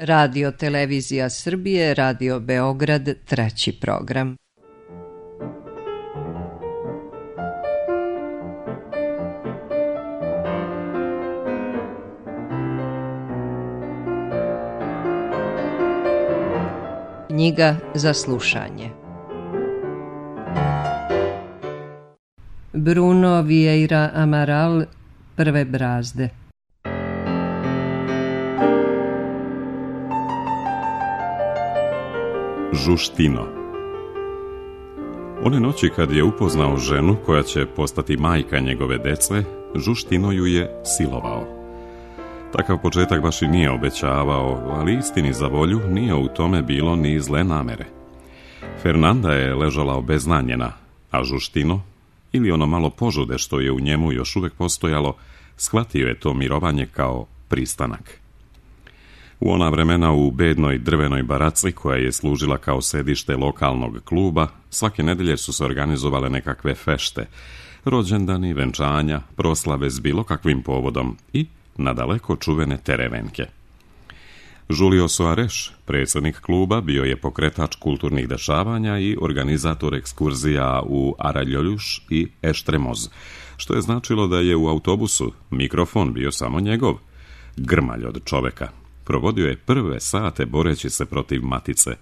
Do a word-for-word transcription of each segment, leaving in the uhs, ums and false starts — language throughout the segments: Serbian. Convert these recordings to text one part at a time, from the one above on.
Radio Televizija Srbije, Radio Beograd, treći program. Knjiga za slušanje. Bruno Vieira Amaral, Prve brazde. Žuštino. One noći kad je upoznao ženu koja će postati majka njegove dece, Žuštino ju je silovao. Takav početak baš i nije obećavao, ali istini za volju nije u tome bilo ni zle namere. Fernanda je ležala obeznanjena, a Žuštino, ili ono malo požude što je u njemu još uvijek postojalo, shvatio je to mirovanje kao pristanak. U ona vremena u bednoj drvenoj baraci koja je služila kao sedište lokalnog kluba, svake nedelje su se organizovale nekakve fešte, rođendani, venčanja, proslave s bilo kakvim povodom i nadaleko čuvene terevenke. Julio Soares, predsjednik kluba, bio je pokretač kulturnih dešavanja i organizator ekskurzija u Araljojuš i Eštremoz, što je značilo da je u autobusu mikrofon bio samo njegov, grmalj od čoveka. Provodio je prve sate boreći se protiv matice.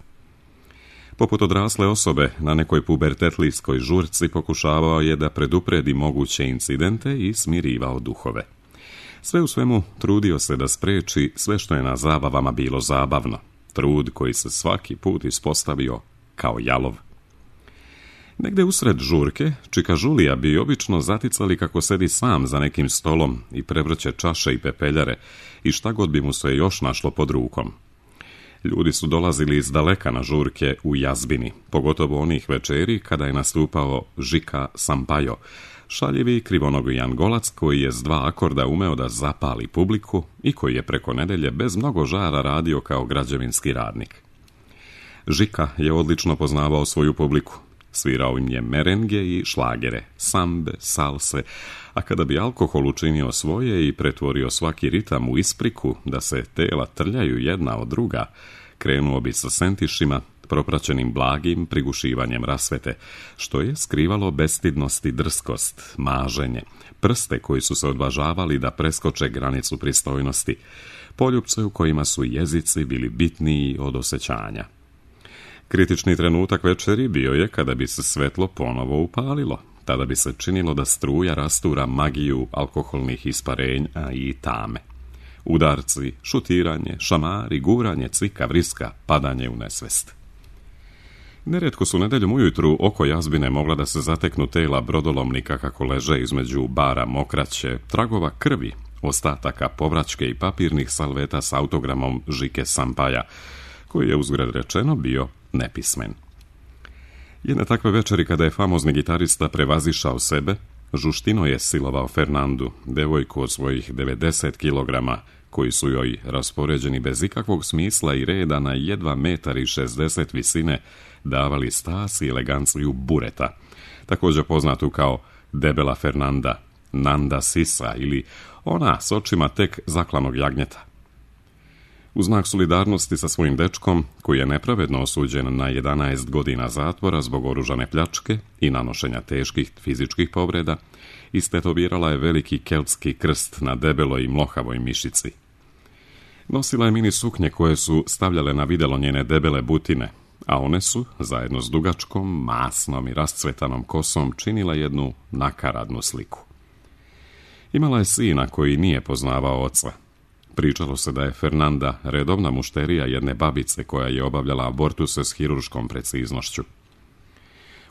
Poput odrasle osobe na nekoj pubertetlijskoj žurci pokušavao je da predupredi moguće incidente i smirivao duhove. Sve u svemu trudio se da spreči sve što je na zabavama bilo zabavno, trud koji se svaki put ispostavio kao jalov. Negde usred žurke, čika Žulija bi obično zaticali kako sedi sam za nekim stolom i prevrće čaše i pepeljare i šta god bi mu se još našlo pod rukom. Ljudi su dolazili iz daleka na žurke u jazbini, pogotovo onih večeri kada je nastupao Žika Sampaio, šaljivi krivonogi Angolac koji je s dva akorda umeo da zapali publiku i koji je preko nedelje bez mnogo žara radio kao građevinski radnik. Žika je odlično poznavao svoju publiku. Svirao im je merenge i šlagere, sambe, salse, a kada bi alkohol učinio svoje i pretvorio svaki ritam u ispriku da se tela trljaju jedna od druga, krenuo bi sa sentišima, propraćenim blagim prigušivanjem rasvete, što je skrivalo bestidnost i drskost, maženje, prste koji su se odvažavali da preskoče granicu pristojnosti, poljupce u kojima su jezici bili bitniji od osjećanja. Kritični trenutak večeri bio je kada bi se svetlo ponovo upalilo. Tada bi se činilo da struja rastura magiju alkoholnih isparenja i tame. Udarci, šutiranje, šamari, guranje, cvika, vriska, padanje u nesvest. Nerijetko su nedeljom ujutru oko jazbine mogla da se zateknu tela brodolomnika kako leže između bara mokraće, tragova krvi, ostataka povraćke i papirnih salveta s autogramom Žike Sampaja, koji je uzgred rečeno bio nepismen. Jedne takve večeri kada je famozni gitarista prevazišao sebe, Žuštino je silovao Fernandu, devojku od svojih devedeset kilograma, koji su joj raspoređeni bez ikakvog smisla i reda na jedva metar i šezdeset visine davali stas i eleganciju bureta, također poznatu kao debela Fernanda, Nanda Sisa ili ona s očima tek zaklanog jagnjeta. U znak solidarnosti sa svojim dečkom, koji je nepravedno osuđen na jedanaest godina zatvora zbog oružane pljačke i nanošenja teških fizičkih povreda, istetovirala je veliki keltski krst na debeloj i mlohavoj mišici. Nosila je mini suknje koje su stavljale na videlo njene debele butine, a one su, zajedno s dugačkom, masnom i rascvetanom kosom, činila jednu nakaradnu sliku. Imala je sina koji nije poznavao oca. Pričalo se da je Fernanda redovna mušterija jedne babice koja je obavljala abortuse s hirurškom preciznošću.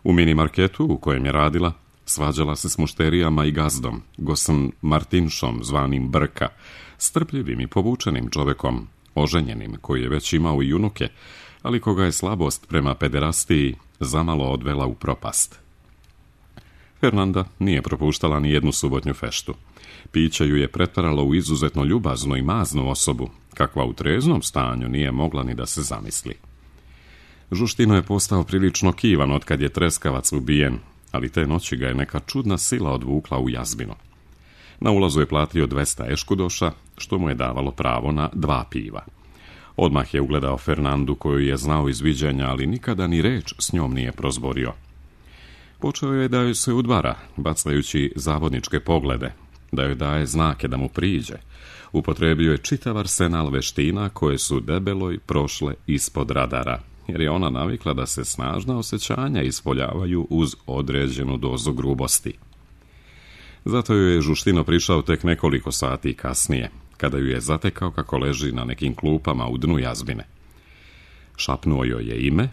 U mini marketu u kojem je radila, svađala se s mušterijama i gazdom, Gosom Martinšom zvanim Brka, strpljivim i povučenim čovekom, oženjenim, koji je već imao i unuke, ali koga je slabost prema pederastiji zamalo odvela u propast. Fernanda nije propuštala ni jednu subotnju feštu. Piće ju je pretvaralo u izuzetno ljubaznu i maznu osobu, kakva u treznom stanju nije mogla ni da se zamisli. Žuštino je postao prilično kivan otkad je treskavac ubijen, ali te noći ga je neka čudna sila odvukla u jazbinu. Na ulazu je platio dvesta eškudoša, što mu je davalo pravo na dva piva. Odmah je ugledao Fernandu koju je znao iz viđenja, ali nikada ni reč s njom nije prozborio. Počeo je da joj se udvara, bacajući zavodničke poglede, da joj daje znake da mu priđe. Upotrebio je čitav arsenal veština koje su debeloj prošle ispod radara, jer je ona navikla da se snažna osjećanja ispoljavaju uz određenu dozu grubosti. Zato joj je Žuštino prišao tek nekoliko sati kasnije, kada ju je zatekao kako leži na nekim klupama u dnu jazbine. Šapnuo joj je ime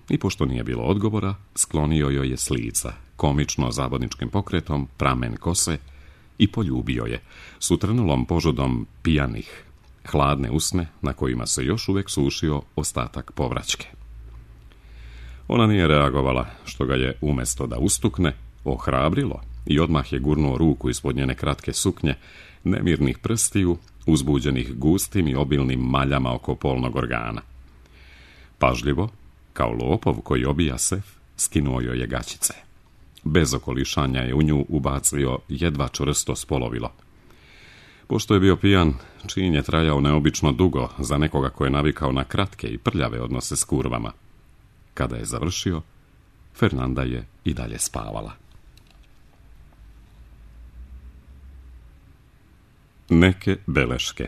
i, pošto nije bilo odgovora, sklonio joj je s lica, komično zavodničkim pokretom, pramen kose, i poljubio je, s utrnulom požudom pijanih, hladne usne na kojima se još uvijek sušio ostatak povraćke. Ona nije reagovala, što ga je, umjesto da ustukne, ohrabrilo i odmah je gurnuo ruku ispod njene kratke suknje, nemirnih prstiju, uzbuđenih gustim i obilnim maljama oko polnog organa. Pažljivo, kao lopov koji obija sef, skinuo joj je gaćice. Bez okolišanja je u nju ubacio jedva čvrsto spolovilo. Pošto je bio pijan, čin je trajao neobično dugo za nekoga ko je navikao na kratke i prljave odnose s kurvama. Kada je završio, Fernanda je i dalje spavala. Neke beleške.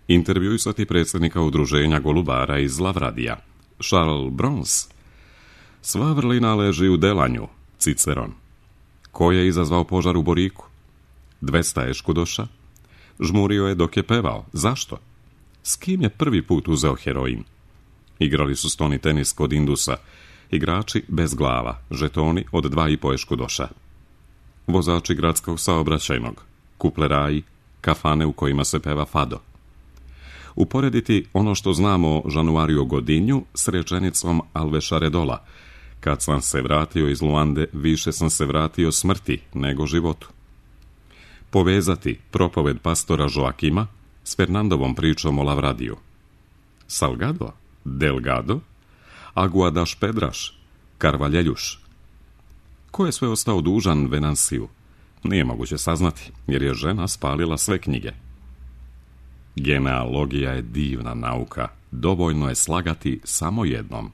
Intervjuisati predsjednika udruženja golubara iz Lavradija, Charles Brons. Sva vrlina leži u delanju, Ciceron. Ko je izazvao požar u Boriku? Dvesta eškudoša. Žmurio je dok je pevao. Zašto? S kim je prvi put uzeo heroin? Igrali su stoni tenis kod Indusa. Igrači bez glava, žetoni od dva i po eškudoša. Vozači gradskog saobraćajnog, kupleraji, kafane u kojima se peva fado. Uporediti ono što znamo o Januario Godinju s rečenicom Alveša Redola: kad sam se vratio iz Luande, više sam se vratio smrti nego životu. Povezati propoved pastora Joakima s Fernandovom pričom o Lavradiju. Salgado, Delgado, Aguadaš Pedraš, Karvaljeljuš. Ko je sve ostao dužan Venansiju? Nije moguće saznati, jer je žena spalila sve knjige. Genealogija je divna nauka, dovoljno je slagati samo jednom.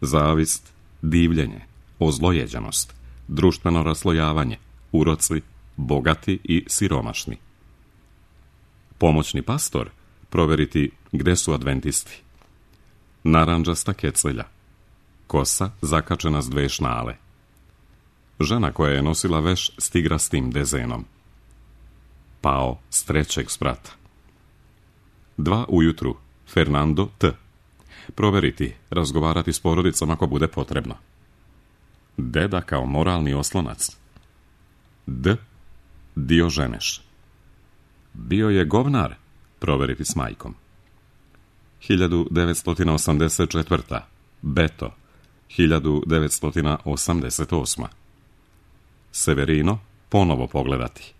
Zavist, divljenje, ozlojeđenost, društveno raslojavanje, uroci, bogati i siromašni. Pomoćni pastor, proveriti gde su adventisti. Narandžasta kecelja, kosa zakačena s dve šnale. Žena koja je nosila veš s tigrastim dezenom. Pao s trećeg sprata. Dva ujutru, Fernando T. Proveriti, razgovarati s porodicom ako bude potrebno. Deda kao moralni oslonac. D. Dioženeš. Bio je govnar, proveriti s majkom. hiljadu devetsto osamdeset četvrta. Beto. hiljadu devetsto osamdeset osma. Severino, ponovo pogledati.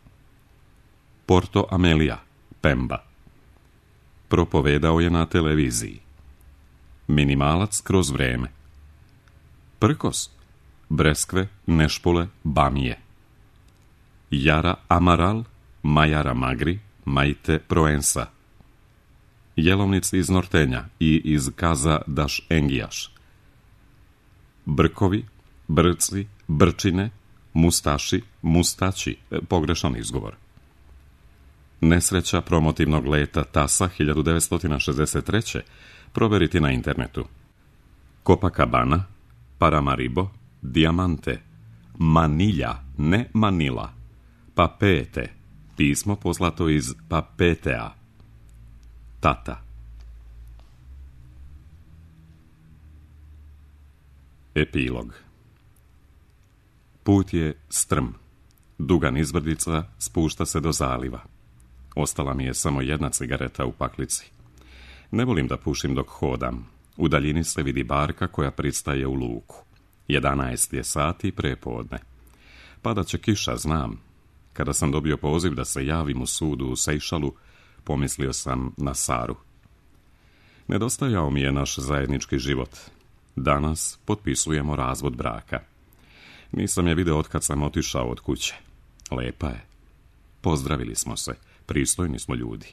Porto Amelia, Pemba. Propovedao je na televiziji. Minimalac kroz vreme. Prkos, breskve, nešpole, bamije. Jara Amaral, Majara Magri, Majte Proensa. Jelovnici iz Nortenja i iz Kaza Daš Engijaš. Brkovi, brci, brčine, mustaši, mustači, pogrešan izgovor. Nesreća promotivnog leta Tasa hiljadu devetsto šezdeset treće. Proveriti na internetu. Copacabana, Paramaribo, Diamante, Manilja, ne Manila, Papete, pismo poslato iz Papetea. Tata. Epilog. Put je strm. Duga nizbrdica spušta se do zaliva. Ostala mi je samo jedna cigareta u paklici. Ne volim da pušim dok hodam. U daljini se vidi barka koja pristaje u luku. Jedanaest je sati prepodne. Pada će kiša, znam. Kada sam dobio poziv da se javim u sudu u Sejšalu, pomislio sam na Saru. Nedostajao mi je naš zajednički život. Danas potpisujemo razvod braka. Nisam je video otkad sam otišao od kuće. Lepa je. Pozdravili smo se. Pristojni smo ljudi.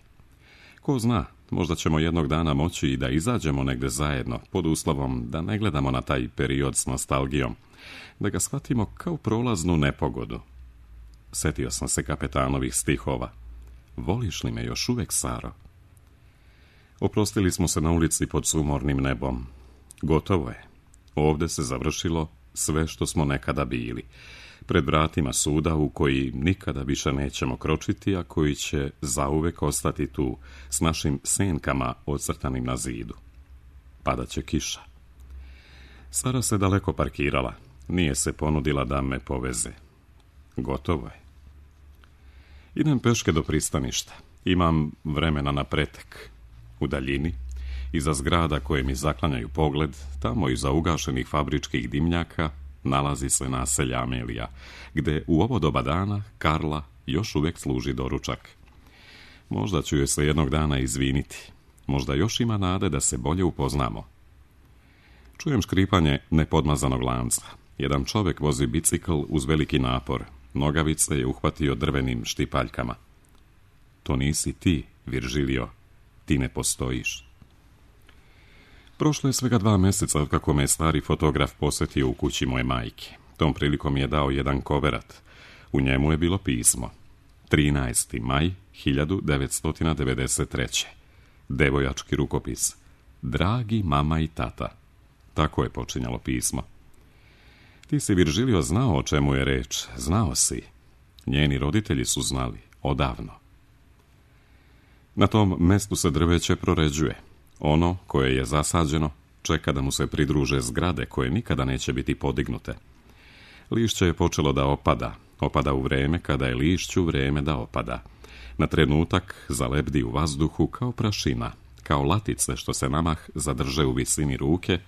Ko zna, Možda ćemo jednog dana moći i da izađemo negde zajedno, pod uslovom da ne gledamo na taj period s nostalgijom, da ga shvatimo kao prolaznu nepogodu. Setio sam se Kapetanovih stihova. Voliš li me još uvek, Saro? Oprostili smo se na ulici pod sumornim nebom. Gotovo je. Ovde se završilo sve što smo nekada bili. Pred vratima suda u koji nikada više nećemo kročiti, a koji će zauvek ostati tu s našim senkama ocrtanim na zidu. Padaće kiša. Sara se daleko parkirala. Nije se ponudila da me poveze. Gotovo je. Idem peške do pristaništa. Imam vremena na pretek. U daljini, iza zgrada koje mi zaklanjaju pogled, tamo iza ugašenih fabričkih dimnjaka, nalazi se naselje Amelija, gde u ovo doba dana Karla još uvek služi doručak. Možda ću joj se jednog dana izviniti. Možda još ima nade da se bolje upoznamo. Čujem škripanje nepodmazanog lanca. Jedan čovek vozi bicikl uz veliki napor. Nogavice je uhvatio drvenim štipaljkama. To nisi ti, Viržilio. Ti ne postojiš. Prošlo je svega dva meseca od kako me je stari fotograf posetio u kući moje majke. Tom prilikom je dao jedan koverat. U njemu je bilo pismo. trinaesti maj hiljadu devetsto devedeset treće. Devojački rukopis. Dragi mama i tata. Tako je počinjalo pismo. Ti si, Viržilio, znao o čemu je reč. Znao si. Njeni roditelji su znali. Odavno. Na tom mestu se drveće proređuje. Ono koje je zasađeno čeka da mu se pridruže zgrade koje nikada neće biti podignute. Lišće je počelo da opada. Opada u vreme kada je lišću vreme da opada. Na trenutak zalebdi u vazduhu kao prašina, kao latice što se namah zadrže u visini ruke,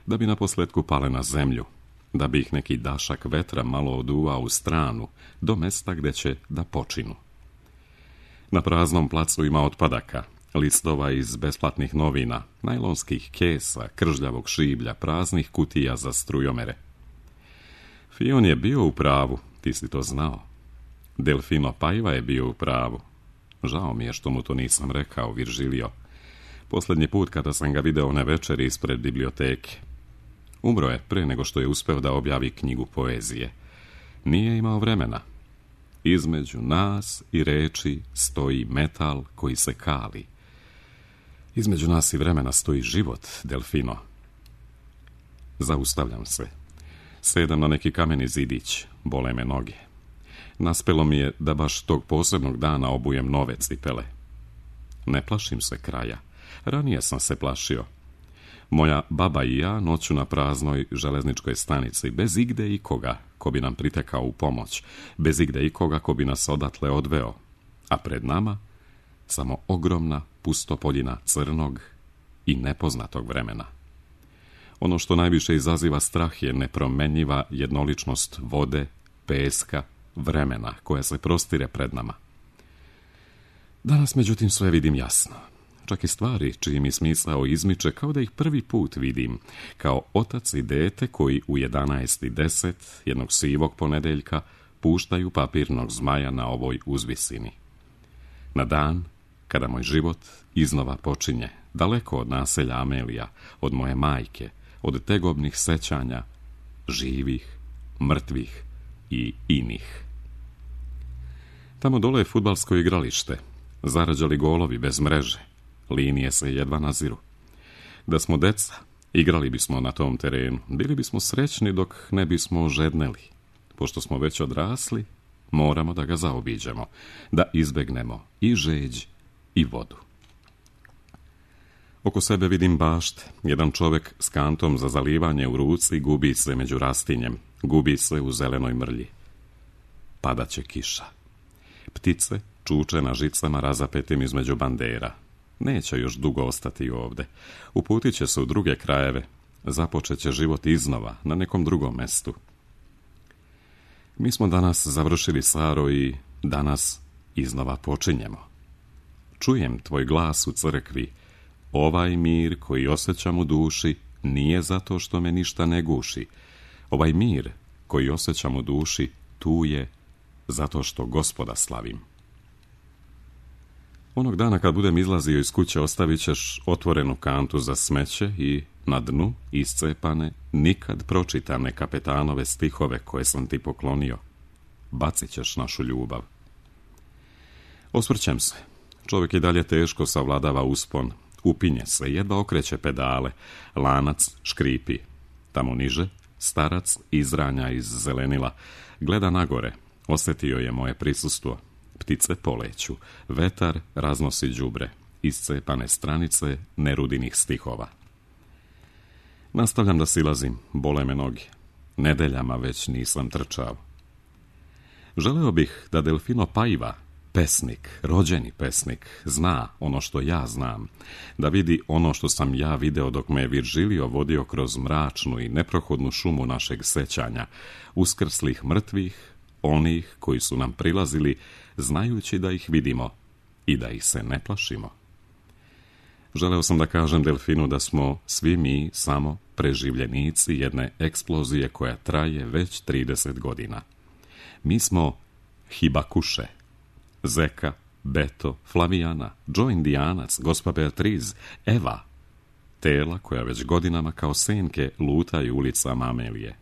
da bi naposletku pale na zemlju, da bi ih neki dašak vetra malo oduvao u stranu, do mesta gde će da počinu. Na praznom placu ima otpadaka, listova iz besplatnih novina, najlonskih kesa, kržljavog šiblja, praznih kutija za strujomere. Fion je bio u pravu, ti si to znao. Delfino Paiva je bio u pravu. Žao mi je što mu to nisam rekao, Viržilio. Posljednji put kada sam ga video one večeri ispred biblioteke. Umro je pre nego što je uspeo da objavi knjigu poezije. Nije imao vremena. Između nas i reči stoji metal koji se kali. Između nas i vremena stoji život, Delfino. Zaustavljam se. Sedam na neki kameni zidić, bole me noge. Naspelo mi je da baš tog posebnog dana obujem nove cipele. Ne plašim se kraja. Ranije sam se plašio. Moja baba i ja noću na praznoj železničkoj stanici, bez igde ikoga ko bi nam pritekao u pomoć, bez igde ikoga ko bi nas odatle odveo, a pred nama samo ogromna pustopoljina crnog i nepoznatog vremena. Ono što najviše izaziva strah je nepromenjiva jednoličnost vode, peska, vremena koja se prostire pred nama. Danas, međutim, sve vidim jasno. Čak i stvari čiji mi smisao izmiče kao da ih prvi put vidim, kao otac i dete koji u jedanaest i deset jednog sivog ponedeljka puštaju papirnog zmaja na ovoj uzvisini. Na dan kada moj život iznova počinje, daleko od naselja Amelija, od moje majke, od tegobnih sećanja, živih, mrtvih i inih. Tamo dole je fudbalsko igralište, zarađali golovi bez mreže, linije se jedva naziru. Da smo deca, igrali bismo na tom terenu, bili bismo srećni dok ne bismo ožedneli. Pošto smo već odrasli, moramo da ga zaobiđemo, da izbegnemo i žeđ i vodu. Oko sebe vidim bašte. Jedan čovek s kantom za zalivanje u ruci gubi se među rastinjem, gubi se u zelenoj mrlji. Padaće kiša. Ptice čuče na žicama razapetim između bandera. Neće još dugo ostati ovde. Uputit će se u druge krajeve. Započet će život iznova, na nekom drugom mestu. Mi smo danas završili, Saro, i danas iznova počinjemo. Čujem tvoj glas u crkvi. Ovaj mir koji osjećam u duši nije zato što me ništa ne guši. Ovaj mir koji osjećam u duši tu je zato što Gospoda slavim. Onog dana kad budem izlazio iz kuće ostavit ćeš otvorenu kantu za smeće i na dnu iscepane, nikad pročitane kapetanove stihove koje sam ti poklonio. Bacit ćeš našu ljubav. Osvrćem se. Čovjek i dalje teško savladava uspon. Upinje se, jedva okreće pedale. Lanac škripi. Tamo niže, starac izranja iz zelenila. Gleda nagore. Osjetio je moje prisustvo. Ptice poleću. Vetar raznosi đubre. Iscepane stranice nerudinih stihova. Nastavljam da silazim. Bole me noge. Nedeljama već nisam trčao. Želeo bih da Delfino Paiva, pesnik, rođeni pesnik, zna ono što ja znam, da vidi ono što sam ja video dok me je Virgilio vodio kroz mračnu i neprohodnu šumu našeg sećanja, uskrslih mrtvih, onih koji su nam prilazili, znajući da ih vidimo i da ih se ne plašimo. Želeo sam da kažem Delfinu da smo svi mi samo preživljenici jedne eksplozije koja traje već trideset godina. Mi smo Hibakuše, Zeka, Beto, Flavijana, Joe Indijanac, gospa Beatriz, Eva, tela koja već godinama kao senke lutaju ulicama Amelije.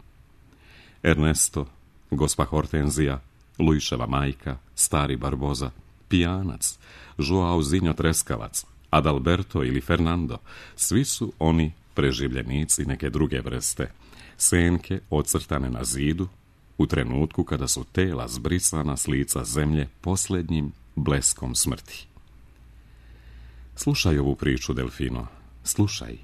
Ernesto, gospa Hortenzija, Luiševa majka, stari Barboza, pijanac, Joao Zinjo Treskavac, Adalberto ili Fernando, svi su oni preživljenici neke druge vrste, senke ocrtane na zidu, u trenutku kada su tela zbrisana s lica zemlje posljednjim bleskom smrti. Slušaj ovu priču, Delfino, slušaj.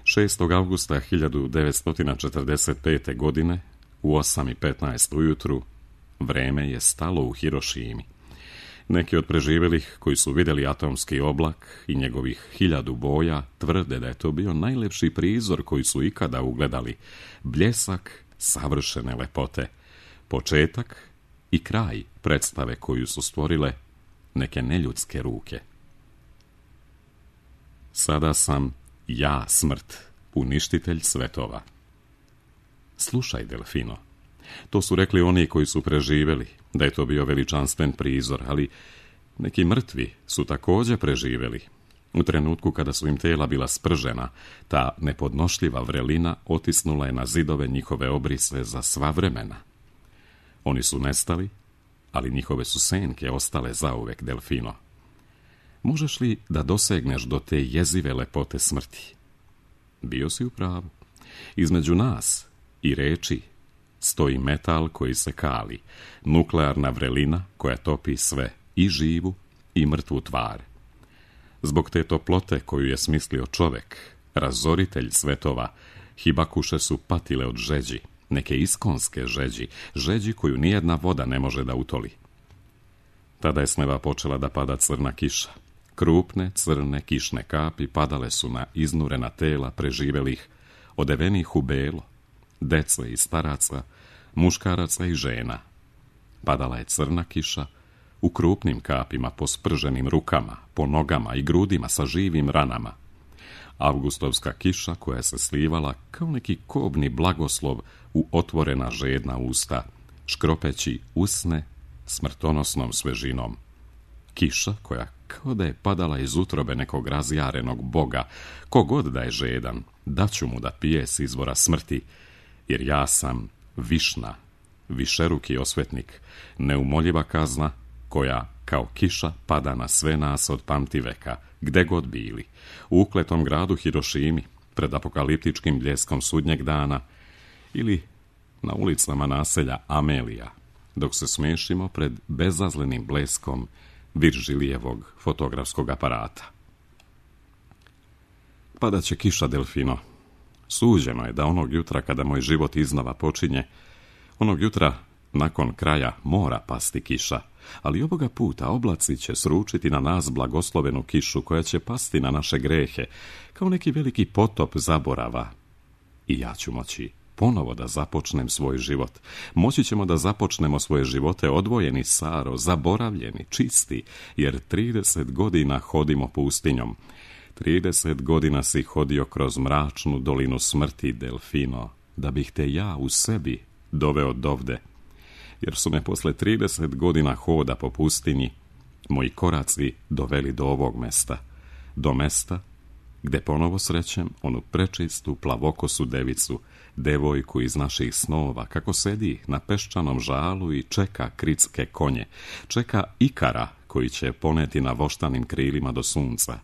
šestog avgusta hiljadu devetsto četrdeset pete. godine, u osam i petnaest ujutru, vreme je stalo u Hirošimi. Neki od preživjelih koji su vidjeli atomski oblak i njegovih hiljadu boja tvrde da je to bio najlepši prizor koji su ikada ugledali, bljesak savršene lepote, početak i kraj predstave koju su stvorile neke neljudske ruke. Sada sam ja smrt, uništitelj svetova. Slušaj, Delfino, to su rekli oni koji su preživjeli, da je to bio veličanstven prizor, ali neki mrtvi su također preživjeli. U trenutku kada su im tela bila spržena, ta nepodnošljiva vrelina otisnula je na zidove njihove obrise za sva vremena. Oni su nestali, ali njihove su senke ostale zauvek, Delfino. Možeš li da dosegneš do te jezive lepote smrti? Bio si u pravu. Između nas i reči stoji metal koji se kali, nuklearna vrelina koja topi sve, i živu i mrtvu tvar. Zbog te toplote koju je smislio čovek, razoritelj svetova, Hibakuše su patile od žeđi, neke iskonske žeđi, žeđi koju nijedna voda ne može da utoli. Tada je s neba počela da pada crna kiša. Krupne, crne, kišne kapi padale su na iznurena tela preživjelih, odevenih u belo, dece i staraca, muškaraca i žena. Padala je crna kiša u krupnim kapima po sprženim rukama, po nogama i grudima sa živim ranama. Avgustovska kiša koja se slivala kao neki kobni blagoslov u otvorena žedna usta, škropeći usne smrtonosnom svežinom. Kiša koja kao da je padala iz utrobe nekog razjarenog boga, kogod da je žedan, daću mu da pije s izvora smrti, jer ja sam Višna, višeruki osvetnik, neumoljiva kazna koja kao kiša pada na sve nas od pamtiveka, gde god bili, u ukletom gradu Hirošimi, pred apokaliptičkim bljeskom sudnjeg dana, ili na ulicama naselja Amelija, dok se smešimo pred bezazlenim bleskom Viržilijevog fotografskog aparata. Padaće kiša, Delfino. Suđeno je da onog jutra kada moj život iznova počinje, onog jutra nakon kraja mora pasti kiša, ali ovoga puta oblaci će sručiti na nas blagoslovenu kišu koja će pasti na naše grehe, kao neki veliki potop zaborava. I ja ću moći ponovo da započnem svoj život. Moći ćemo da započnemo svoje živote odvojeni, Saro, zaboravljeni, čisti, jer trideset godina hodimo pustinjom. Trideset godina si hodio kroz mračnu dolinu smrti, Delfino, da bih te ja u sebi doveo dovde, jer su me posle trideset godina hoda po pustinji moji koraci doveli do ovog mesta, do mesta gde ponovo srećem onu prečistu plavokosu devicu, devojku iz naših snova, kako sedi na peščanom žalu i čeka kritske konje, čeka ikara koji će poneti na voštanim krilima do sunca,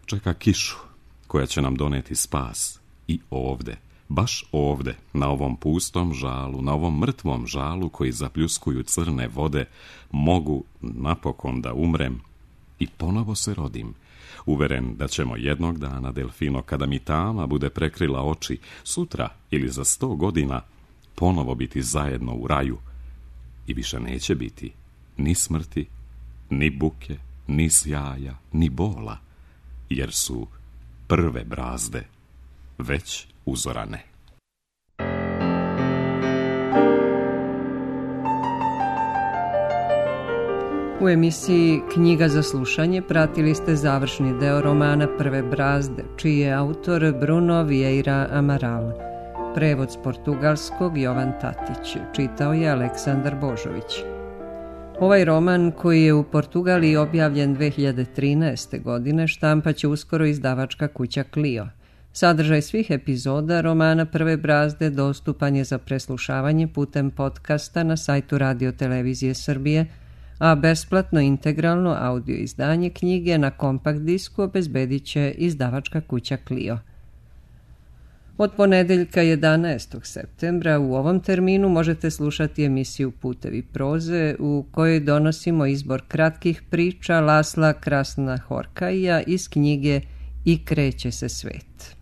čeka kišu koja će nam doneti spas i ovde, baš ovde, na ovom pustom žalu, na ovom mrtvom žalu koji zapljuskuju crne vode, mogu napokon da umrem i ponovo se rodim, uveren da ćemo jednog dana, Delfino, kada mi tama bude prekrila oči, sutra ili za sto godina, ponovo biti zajedno u raju i više neće biti ni smrti, ni buke, ni sjaja, ni bola, jer su prve brazde već uzorane. U emisiji Knjiga za slušanje pratili ste završni deo romana Prve brazde, čiji je autor Bruno Vieira Amaral. Prevod s portugalskog Jovan Tatić, čitao je Aleksandar Božović. Ovaj roman, koji je u Portugaliji objavljen dve hiljade trinaeste. godine, štampaće uskoro izdavačka kuća Clio. Sadržaj svih epizoda romana Prve brazde dostupan je za preslušavanje putem podcasta na sajtu Radio Televizije Srbije, a besplatno integralno audio izdanje knjige na kompakt disku obezbedit će izdavačka kuća Clio. Od ponedeljka jedanaestog septembra u ovom terminu možete slušati emisiju Putevi proze, u kojoj donosimo izbor kratkih priča Lasla Krasna Horkaija iz knjige I kreće se svet.